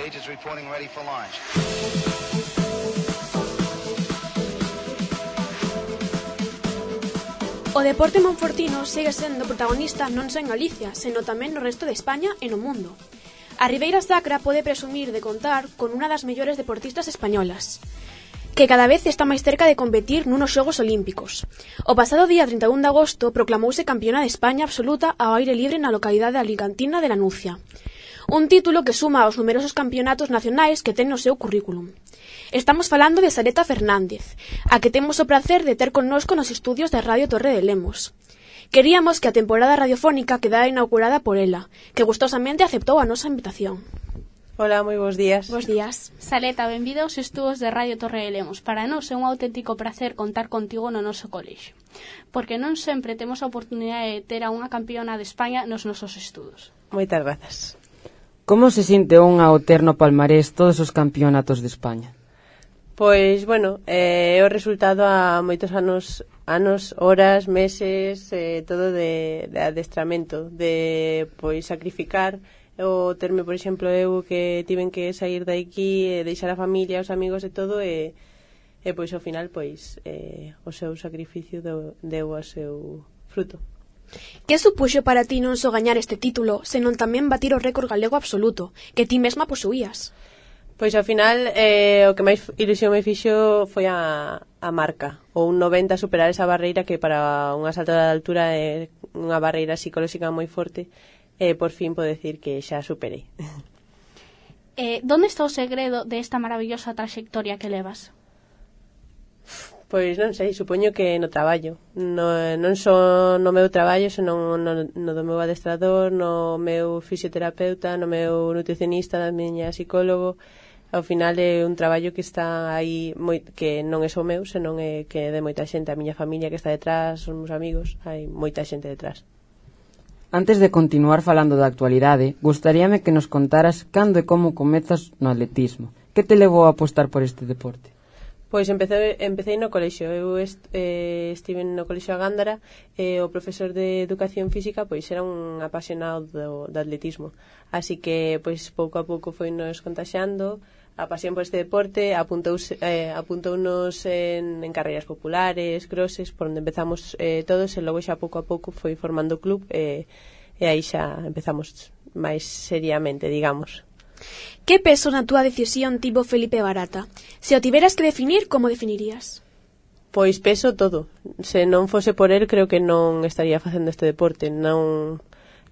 stage is reporting ready for launch. O deporte monfortino segue sendo protagonista non só en Galicia, senón tamén no resto de España e no mundo. A Ribeira Sacra pode presumir de contar con unha das mellores deportistas españolas, que cada vez está máis cerca de competir nunos Xogos Olímpicos. O pasado día 31 de agosto proclamouse campeona de España absoluta ao aire libre na localidade alicantina de Lanucia. Un título que suma aos numerosos campeonatos nacionais que ten no seu currículum. Estamos falando de Sareta Fernández, a que temos o prazer de ter connosco nos estudios de Radio Torre de Lemos. Queríamos que a temporada radiofónica quedara inaugurada por ela, que gustosamente aceptou a nosa invitación. Hola, moi bons días. Bos días. Sareta, benvida aos estudos de Radio Torre de Lemos. Para nós é un auténtico placer contar contigo no noso colexio, porque non sempre temos a oportunidade de ter a unha campeona de España nos nosos estudos. Moitas grazas. Como se sinte unha ao ter no palmarés todos os campeonatos de España? Pois, bueno, é o resultado a moitos anos, horas, meses, todo de adestramento, de pois sacrificar o terme, por exemplo, eu que tiven que sair de aquí, deixar a familia, os amigos e todo, e pois ao final pois o seu sacrificio deu o seu fruto. Que supuxo para ti non só gañar este título, senón tamén batir o récord galego absoluto, que ti mesma posuías? Pois ao final o que máis ilusión me fixo foi a marca, ou un 90 superar esa barreira que para unha salto de altura é unha barreira psicolóxica moi forte, e por fin podo decir que xa superei. Donde está o segredo desta maravillosa traxectoria que levas? Pois non sei, supoño que no traballo, non só no meu traballo, senón no do meu adestrador, no meu fisioterapeuta, no meu nutricionista, na miña psicólogo. Ao final é un traballo que está aí, que non é só meu, senón é que é de moita xente, a miña familia que está detrás, os meus amigos, hai moita xente detrás. Antes de continuar falando da actualidade, gustaríame que nos contaras cando e como comezas no atletismo. Que te levou a apostar por este deporte? Pois empecé no colexio. Eu estive no colexio a Gándara e o profesor de educación física pois era un apasionado do atletismo. Así que pois pouco a pouco foi nos contaxiando a pasión por este deporte, apuntounos en carreiras populares, crosses, por onde empezamos todos, e logo xa pouco a pouco foi formando o club e aí xa empezamos máis seriamente, digamos. Que peso na túa decisión tivo Felipe Barata? Se o tiveras que definir, como definirías? Pois peso todo. Se non fose por el, creo que non estaría facendo este deporte. Non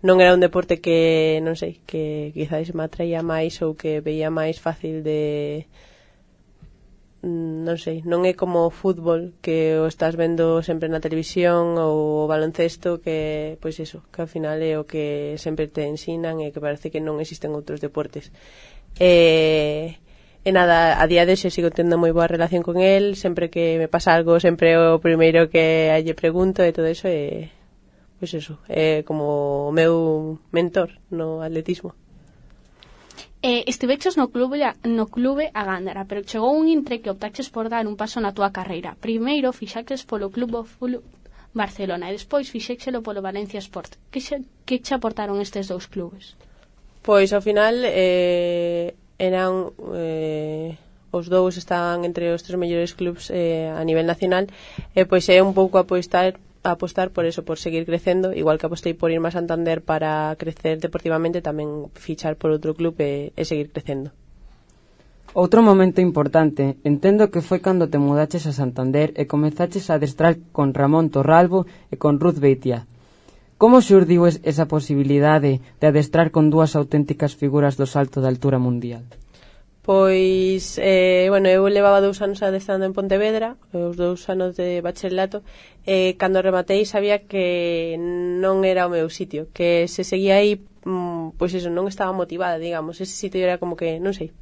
era un deporte que, non sei, que quizás me atraía máis ou que veía máis fácil de... Non sei, non é como o fútbol que o estás vendo sempre na televisión, ou o baloncesto que, pois eso, que ao final é o que sempre te ensinan e que parece que non existen outros deportes. E nada, a día de hoxe sigo tendo moi boa relación con el, sempre que me pasa algo sempre o primeiro que lle pregunto e todo eso, e pois eso, é como o meu mentor no atletismo. Estiveches no clube a Gándara, pero chegou un intre que optaches por dar un paso na túa carreira. Primeiro fixaches polo Club Barcelona e despois fixéchelo polo Valencia Sport. Que che aportaron estes dous clubes? Pois ao final eran os dous estaban entre os 3 mellores clubs a nivel nacional, e pois é un pouco apostar por eso, por seguir crecendo, igual que apostei por irme a Santander para crecer deportivamente, tamén fichar por outro club e seguir crecendo. Outro momento importante, entendo que foi cando te mudaches a Santander e comezaches a adestrar con Ramón Torralbo e con Ruth Beitia. Como xurdiu esa posibilidade de adestrar con dúas auténticas figuras do salto de altura mundial? Pois, bueno, eu levaba 2 anos adestrando en Pontevedra, os 2 anos de bacharelato, e cando rematei sabía que non era o meu sitio, que se seguía aí, pois eso, non estaba motivada, digamos, ese sitio era como que, non sei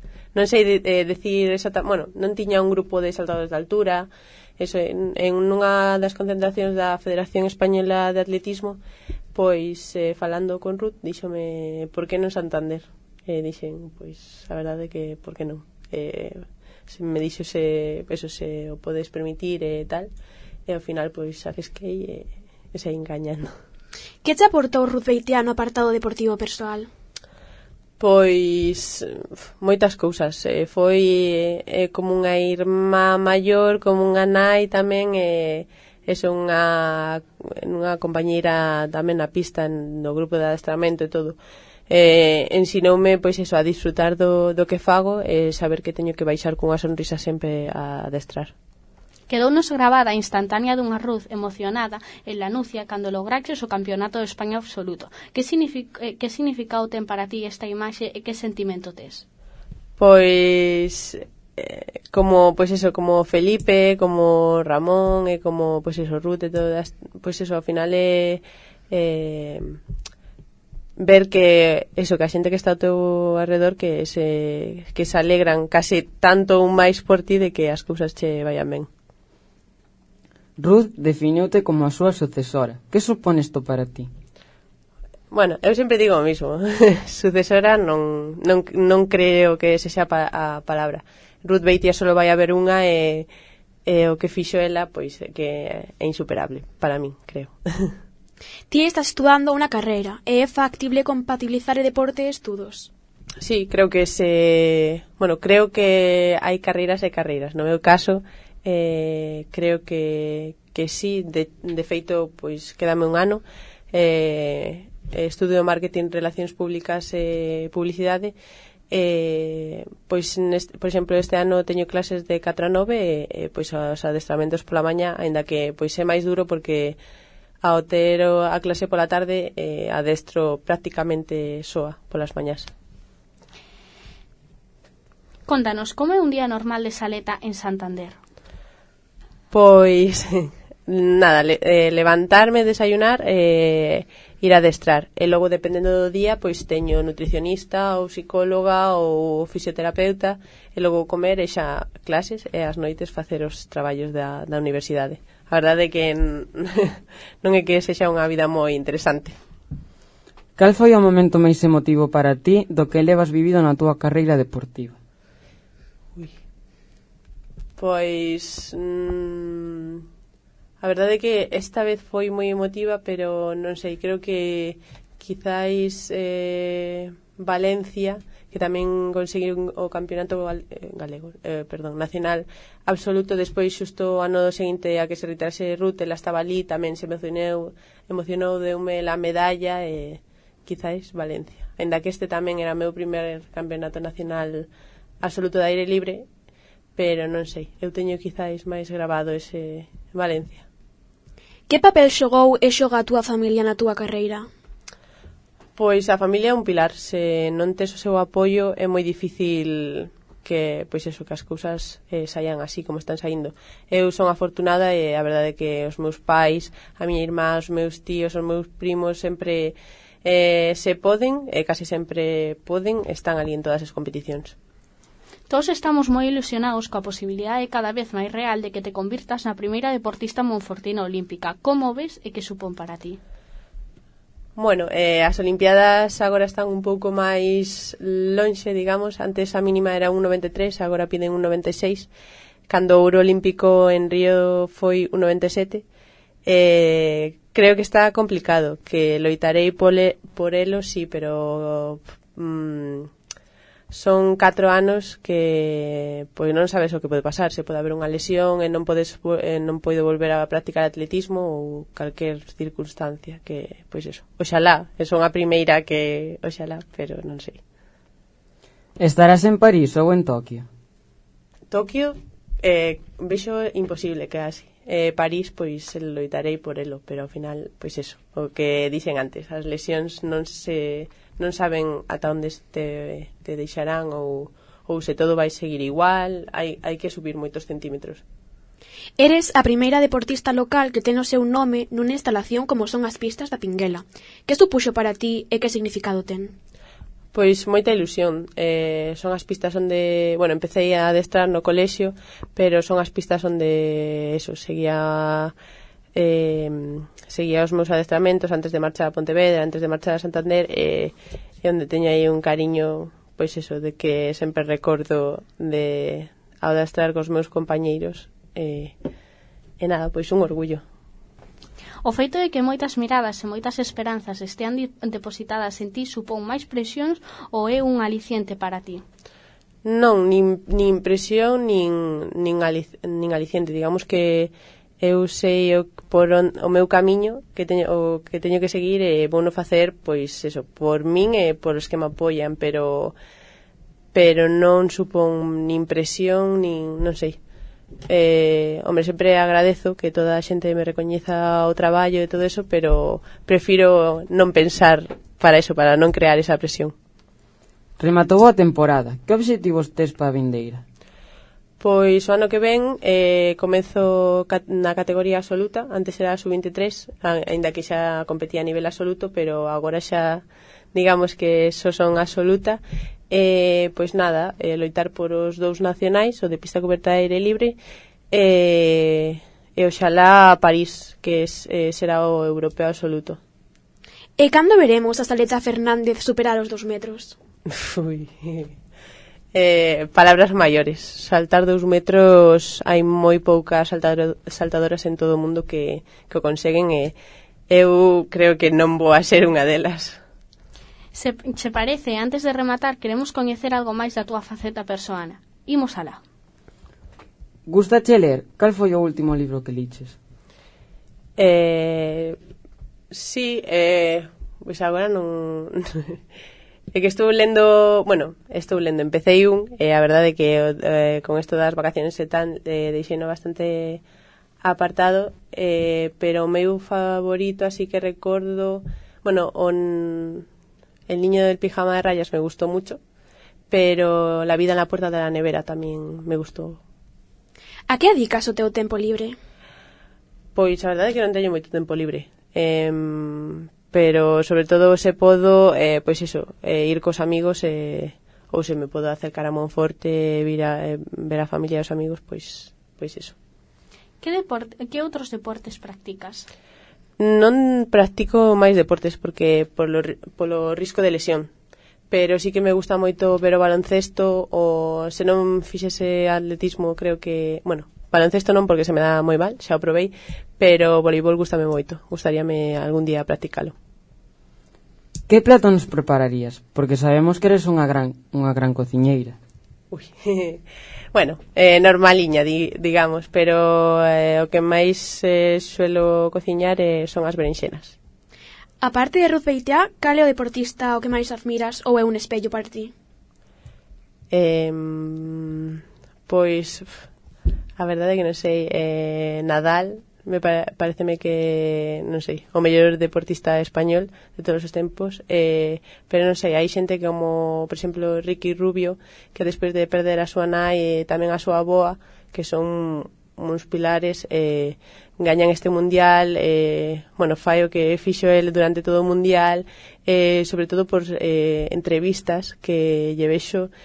decir exactamente, bueno, non tiña un grupo de saltadores de altura, eso, en unha das concentracións da Federación Española de Atletismo, pois, falando con Ruth, díxome, por que non Santander? E dixen, pois, a verdade que por que non? Se me dixo se o podes permitir e tal, e ao final pois arrisquei e saí engañando. Que te aportou Ruth Beitia no apartado deportivo persoal? Pois moitas cousas. Foi como unha irmá maior, como unha nai tamén, unha compañeira tamén na pista, no grupo de adestramento e todo. Ensinoume pois eso, a disfrutar do que fago e saber que teño que baixar cunha sonrisa sempre a adestrar. Quedounos grabada a instantánea dunha Ruth emocionada en Lanucia cando lograches o campeonato de España absoluto. Que significado ten para ti esta imaxe e que sentimento tes? Pois como Felipe, como Ramón e como Ruth e todas, ao final ver que a xente que está ao teu alrededor que se alegran case tanto un máis por ti de que as cousas che vayan ben. Ruth definiute como a súa sucesora. Que supón isto para ti? Bueno, eu sempre digo o mismo. Sucesora non creo que ese sea a palabra. Ruth Beitia solo vai haber unha e o que fixo ela pois que é insuperable para min, creo. Ti estás estudando unha carreira e é factible compatibilizar o deporte e estudos? Sí, creo que creo que hai carreiras e carreiras. No meu caso, creo que sí, de feito, pois quédame un ano, estudio marketing, relacións públicas e publicidade, pois por exemplo este ano teño clases de 4 a 9 e pois os adestramentos pola mañá, aínda que pois é máis duro porque ao ter a clase pola tarde adestro prácticamente soa polas mañás. Contanos, como é un día normal de Saleta en Santander? Pois nada, levantarme, desayunar, ir a adestrar e logo dependendo do día pois teño nutricionista ou psicóloga ou fisioterapeuta e logo comer e xa clases e as noites facer os traballos da universidade. A verdade é que non é que sexa unha vida moi interesante. Cal foi o momento máis emotivo para ti do que levas vivido na túa carreira deportiva? Pois a verdade é que esta vez foi moi emotiva, pero non sei, creo que quizáis Valencia, que tamén conseguiron o campeonato nacional absoluto, despois xusto o ano seguinte a que se retirase Ruth, ela estaba ali, tamén se emocionou, deume la medalla e quizáis Valencia, ainda que este tamén era o meu primer campeonato nacional absoluto de aire libre, pero non sei, eu teño quizáis máis grabado ese Valencia. Que papel xogou e xoga a túa familia na túa carreira? Pois a familia é un pilar, se non tes o seu apoio é moi difícil que as cousas saian así como están saindo. Eu son afortunada e a verdade é que os meus pais, a miña irmá, os meus tíos, os meus primos sempre se poden, e casi sempre poden, están ali en todas as competicións. Todos estamos moi ilusionados coa posibilidade cada vez máis real de que te convirtas na primeira deportista monfortina olímpica. Como ves e que supón para ti? Bueno, as Olimpiadas agora están un pouco máis lonxe, digamos. Antes a mínima era 1,93, agora piden 1,96. Cando o ouro olímpico en Río foi 1,97. Creo que está complicado, que loitarei por elo, sí, pero son 4 anos que pois non sabes o que pode pasar, se pode haber unha lesión e non podo volver a practicar atletismo ou calquer circunstancia que, pois eso, oxalá, son a primeira que oxalá, pero non sei. Estarás en París ou en Tokio? Tokio vexo imposible que así. París, pois loitarei por elo, pero ao final, pois eso, o que dixen antes, as lesións non saben ata onde te deixarán ou se todo vai seguir igual, hai que subir moitos centímetros. Eres a primeira deportista local que ten o seu nome nunha instalación como son as pistas da Pinguela. Que supuxo para ti e que significado ten? Pois moita ilusión. Son as pistas onde, empecé a adestrar no colexio, pero son as pistas onde seguía os meus adestramentos antes de marchar a Pontevedra, antes de marchar a Santander, e onde teño aí un cariño, pois eso, de que sempre recordo de adestrar cos meus compañeiros, e nada, pois un orgullo. O feito de que moitas miradas e moitas esperanzas estean depositadas en ti supón máis presións ou é un aliciente para ti? Non, nin presión, nin aliciente. Digamos que eu sei o meu camiño que teño que seguir e vou non facer, pois, eso, por min e por os que me apoian, pero non supón nin presión, nin, non sei. Hombre, sempre agradezo que toda a xente me recoñeza o traballo e todo eso, pero prefiro non pensar para eso, para non crear esa presión. Rematou a temporada. Que obxectivos tes para a vindeira? Pois o ano que ven comezo na categoría absoluta. Antes era sub-23, aínda que xa competía a nivel absoluto, pero agora xa digamos que só son absoluta. Pois nada, loitar por os 2 nacionais, o de pista coberta de aire libre e oxalá París, que será o europeo absoluto. E cando veremos a Saleta Fernández superar os 2 metros? Ui... palabras maiores. Saltar 2 metros, hai moi poucas saltadoras en todo o mundo que o conseguen e eu creo que non vou a ser unha delas. Se parece, antes de rematar, queremos coñecer algo máis da túa faceta persoana. Imos alá. Gustache ler? Cal foi o último libro que liches? Sí, pois agora non... É que estou lendo, empecéi e a verdade é que con isto das vacaciones e tal, deixeino bastante apartado, pero o meu favorito, así que recordo, El niño del pijama de rayas me gustó mucho, pero La vida en la puerta de la nevera tamén me gustou. A que dedicas o teu tempo libre? Pois a verdade é que non teño moito tempo libre, pero sobre todo se podo, pois iso, ir cos amigos ou se me podo acercar a Monforte ver a familia e os amigos, pois iso. Que outros deportes practicas? Non practico máis deportes porque polo risco de lesión, pero sí que me gusta moito ver o baloncesto, ou se non fixese atletismo, creo que, baloncesto non porque se me dá moi mal, xa o probei, pero o voleibol gustame moito, gustaríame algún día practicalo. Que plato nos prepararías? Porque sabemos que eres unha gran cociñeira. Ui, normaliña, digamos, pero o que máis suelo cociñar son as berenxenas. A parte de Ruth Beitiá, cal é o deportista o que máis admiras ou é un espello para ti? Pois, a verdade é que non sei, Nadal, pareceme que, non sei, o mellor deportista español de todos os tempos, pero non sei, hai xente como, por exemplo, Ricky Rubio, que despois de perder a súa nai e tamén a súa avoa, que son uns pilares, gañan este mundial, fai o que fixo el durante todo o mundial, sobre todo por entrevistas que lle vexo,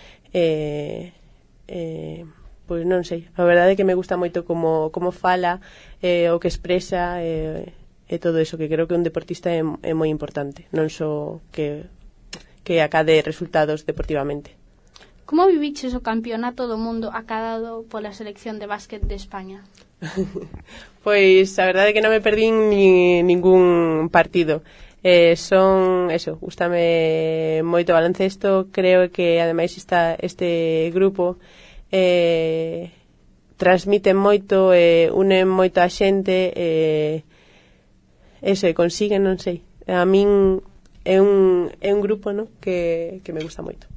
pois non sei, a verdade é que me gusta moito como fala, o que expresa e todo eso, que creo que un deportista é moi importante, non só que acade resultados deportivamente. Como viviches o campeonato do mundo acadado pola selección de básquet de España? Pois a verdade é que non me perdín ningún partido. Gústame moito o baloncesto, creo que ademais está este grupo transmiten moito, unen moito a xente, consiguen, non sei, a min é un grupo, no, que me gusta moito.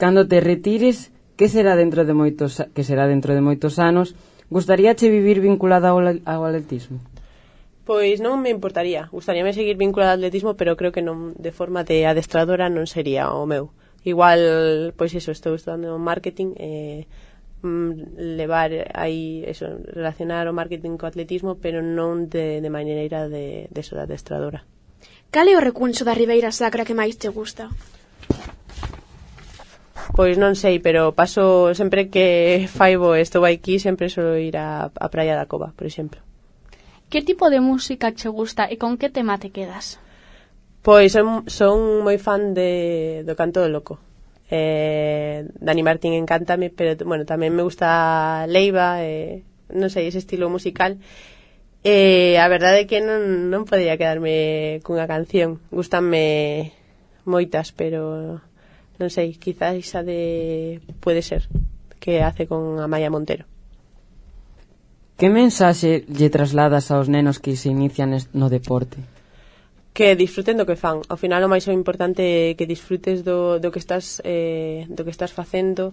Cando te retires, que será dentro de moitos anos? Gustaríache vivir vinculada ao atletismo? Pois non me importaría, gustaríame seguir vinculada ao atletismo, pero creo que non, de forma de adestradora non sería o meu. Igual, pois estou estudando marketing, levar aí, relacionar o marketing co atletismo, pero non de maneira de adestradora. Cal é o recuncho da Ribeira Sacra que máis te gusta? Pois non sei, pero paso sempre que faibo estou aquí, sempre solo ir a Praia da Cova, por exemplo. Que tipo de música che gusta e con que tema te quedas? Pois son moi fan do canto do loco. Dani Martín encántame, pero tamén me gusta Leiva, non sei, ese estilo musical. A verdade é que non podía quedarme cunha canción. Gústanme moitas, pero non sei, quizás esa de Puede ser, que hace con Amaya Montero. Que mensaxe lle trasladas aos nenos que se inician no deporte? Que disfruten do que fan. Ao final o máis importante é que disfrutes do que estás facendo,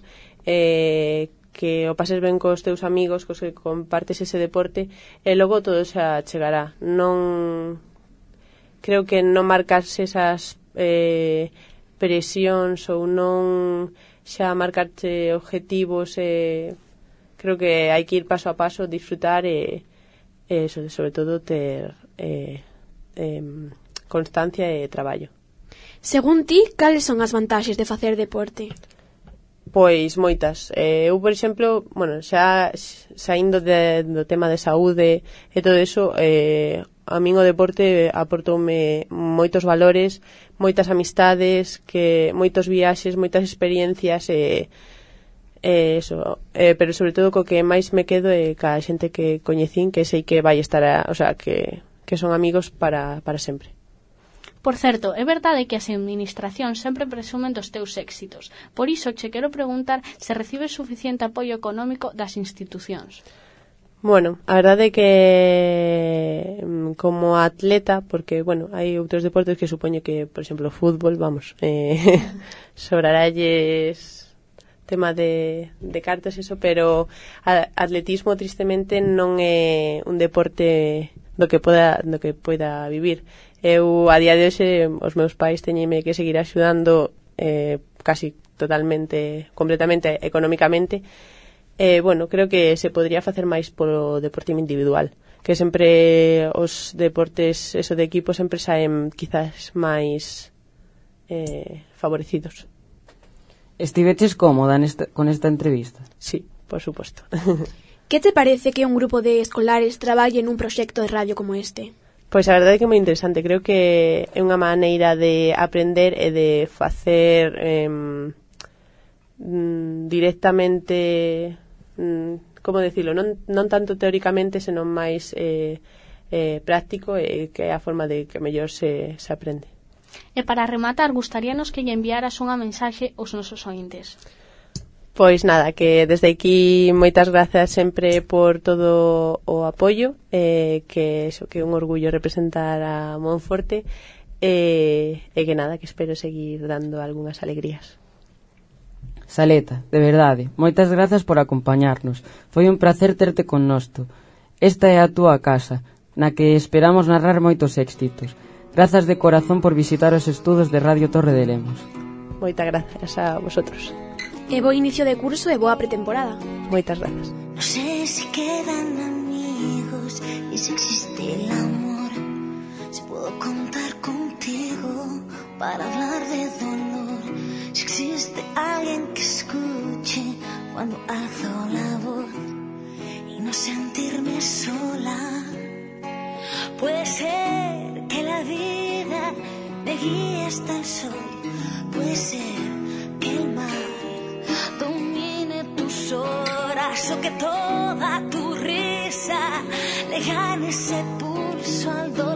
que o pases ben cos teus amigos, cos que compartes ese deporte, e logo todo xa chegará. Non creo que non marcarse esas presións ou non xa marcarte objetivos, creo que hai que ir paso a paso, disfrutar e sobre todo ter constancia e traballo. Según ti, cales son as vantaxes de facer deporte? Pois moitas. Eu, por exemplo, xa saindo do tema de saúde e todo eso, a min o deporte aportoume moitos valores, moitas amistades, moitos viaxes, moitas experiencias pero sobre todo co que máis me quedo é ca xente que coñecín, que sei que vai estar, que son amigos para sempre. Por certo, é verdade que as administracións sempre presumen dos teus éxitos. Por iso che quero preguntar se recibes suficiente apoio económico das institucións. Bueno, a verdade é que como atleta, porque, hai outros deportes que supoño que, por exemplo, o fútbol, sobraralles tema de cartas, eso, pero atletismo, tristemente, non é un deporte do que poida vivir. Eu, a día de hoxe, os meus pais teñenme que seguir axudando casi totalmente, completamente, económicamente. Creo que se podría facer máis polo deporte individual, que sempre os deportes de equipo sempre saen quizás máis favorecidos. Estiveches cómoda con esta entrevista? Sí, por suposto. Que te parece que un grupo de escolares traballe nun proxecto de radio como este? Pois a verdade é que é moi interesante. Creo que é unha maneira de aprender e de facer directamente, como decirlo, non tanto teóricamente, senón máis práctico, que é a forma de que mellor se aprende. E para rematar, gustaríanos que lle enviaras unha mensaxe aos nosos ointes. Pois nada, que desde aquí moitas grazas sempre por todo o apoio, que é un orgullo representar a Monforte, e que nada, que espero seguir dando algunhas alegrías. Saleta, de verdade, moitas grazas por acompañarnos. Foi un placer terte connosco. Esta é a túa casa, na que esperamos narrar moitos éxitos. Grazas de corazón por visitar os estudos de Radio Torre de Lemos. Moitas grazas a vosotros. E bo inicio de curso e boa pretemporada. Moitas grazas. No sé si quedan amigos y si existe el amor. Si puedo contar contigo para hablar de dolor. Si existe alguien que escuche cuando alzo la voz y no sentirme sola. Puede ser que la vida me guíe hasta el sol. Puede ser que el mar domine tus horas o que toda tu risa le gane ese pulso al dolor.